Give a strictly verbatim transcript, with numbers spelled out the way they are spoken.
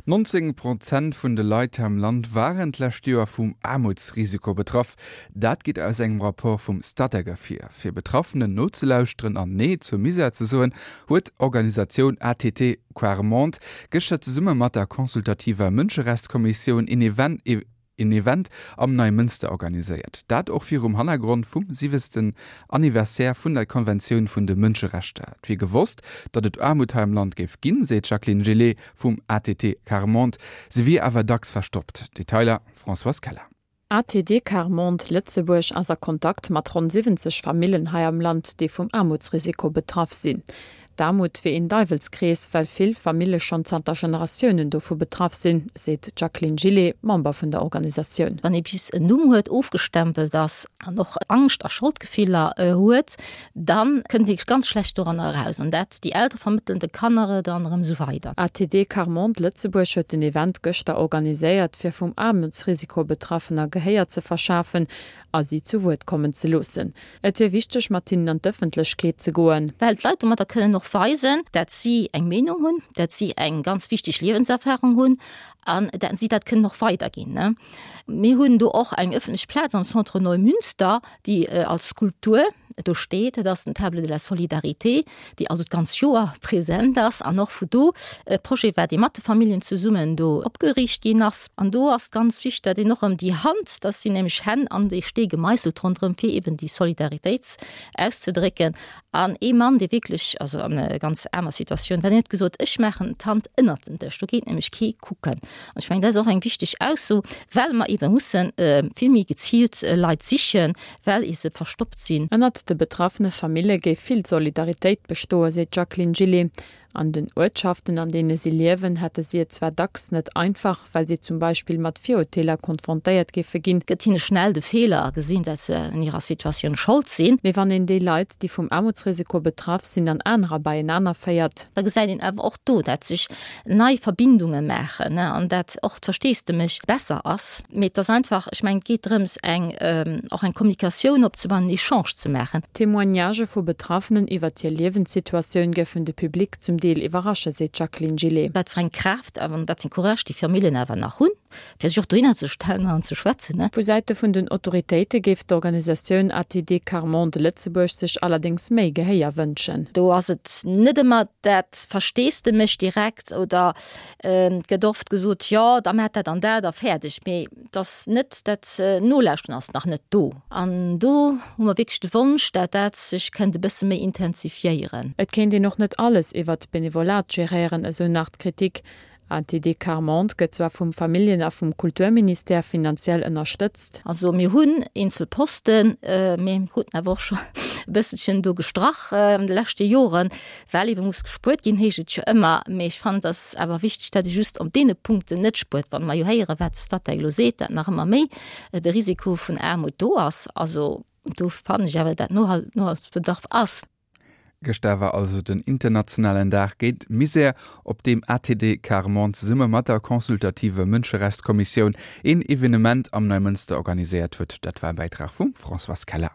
Nonzéng Prozent vun de Leit hei am Land waren d'lescht Joer vum Aarmutsrisiko betraff. Dat geet aus engem Rapport vum Statec ervir. Fir Betraffenen nozelauschteren an Nee zum Misär ze soen, huet d'Organisatioun A T T Quart Monde gëschter zesumme mat der consultativer Mënscherechtskommissioun een Event een Event am Neimënster organiséiert. Dat och virum Hannergrond vum siwwenzegsten Anniversaire vun der Konventioun vun de Mënscherechter. Et wier gewosst, datt et Aarmut hei am Land géif ginn, seet d'Jacqueline Gillet vum A T T Quart Monde. Se wier awer dacks verstoppt. Detailer Françoise Keller. A T T Quart Monde Lëtzebuerg ass a Kontakt mat ronn siwwenzeg Famillen hei am Land, déi vum Aarmutsrisiko betraff sinn. D'Aarmut wier een Däiwelskrees, well vill Famille schonn zanter Generatiounen dovu betraff sinn, seet d'Jacqueline Gillet, Member vun der Organisatioun. Wann ee bis en Numm huet, ofgestempelt ass an och Angscht a Scholdgefiller huet, dann kënnt ee ganz schlecht doranner eraus. An dat déi Eltere vermëttelen de Kanner et dann erëm esou weider. A T T Quart Monde Lëtzebuerg huet den Event gëschter organiséiert, fir vum Aarmutsrisiko Betraffener Gehéier ze verschafen a si zu Wuert kommen ze loossen. Et wier wichteg, mat hinnen an d'Ëffentlechkeet ze goen. Well d'Leit domadder kënnen och weisen, dat si eng Meenung hunn, dat si eng ganz wichteg Liewenserfarung hunn an dat si dat kënnen och weiderginn. Mir hunn do och eng ëffentlech Plaz am Centre Neumünster, déi als Skulptur do steet, dat ass den Table de la Solidarité, déi also d'ganz Joer present ass an och vu do e Projet war, dee mat de Familljen zesummen do opgeriicht ginn ass. An do ass ganz wichteg, dat een och ëm déi Hand, dat sinn nämlech Hänn an déi Stee gemeisselt ronderëm, fir eben déi Solidaritéit auszedrécken. An ee Mann, dee wierklech also an enger ganz aarmer Situatioun war, deen huet gesot, Ech maachen d'Hand ënnert den Dësch, do geet nämlech kee kucken. An ech mengen, dat ass och eng wichteg Ausso, well mer ebe musse vill méi geziilt Leit sichen, well ee se verstoppt sinn. Ënnert de betraffene Famille géif vill Solidaritéit bestoen, seet d'Jacqueline Gillet. An den Uertschaften, an deene si liewen, hätte si et zwar dacks net einfach, well si zum Beispill mat Virurteeler konfrontéiert géife ginn. Gëtt hinne schnell de Feeler a gesinn, dat se un hirer Situatioun Schold sinn. Mee wann een déi Leit, déi vum Aarmutsrisiko betraff sinn, an anerer beienaner féiert. Da gesäit een awer och do, dat sech nei Verbindunge maachen an dat och d'Versteesdemech besser ass. Mee et ass einfach, ech mengen, et geet drëms, eng och eng Kommunikatioun opzebauen, en Echange ze maachen. D'Témoignagë vu Betraffenen iwwert hir Liewenssituatioun géifen de Public zum Deel iwwerrasche, seet d'Jacqueline Gillet. Wat fir eng Kraaft an wat fir en Courage déi Familljen awer nach hunn, fir sech och dohinner ze stellen an ze schwätzen. Vu Säite vun den Autoritéite géif d'Organisatioun A T D Quart Monde Lëtzebuerg sech allerdéngs méi Gehéier wënschen. Do ass et net ëmmer dat Versteesdemech direkt oder et gëtt oft gesot, jo da maacht dat an dat a fäerdeg, mee et ass net dat Nolauschteren ass nach net do. An do hu mer wierklech de Wonsch, dat dat sech kënnt e bësse méi intensifiéieren. Et kéint een och net alles iwwert d'Benevolat geréieren, esou nach d'Kritik. A T D Quart Monde gëtt zwar vum Familljen a vum Kulturministère finanziell ënnerstëtzt. Also mir hunn eenzel Posten, mee mir kruten awer och scho e bësselchen do gestrach an de leschte Joren, well ebe muss gespuert ginn, heescht et jo ëmmer. Mee ech fannen, et ass awer wichteg, datt ee just op deene Punkten net spuert. Wa mer jo héieren, wat de Statec elo seet, datt nach ëmmer méi de Risiko vun Aarmut do ass. Also do fannen ech awer, datt Nohalsbedarf ass. Gëschter war also den internationalen Dag géint Misär, op deem A T D Quart Monde zesumme mat der consultativer Mënscherechtskommissioun een Evenement am Neimënster organiséiert huet. Dat war e Bäitrag vum Françoise Keller.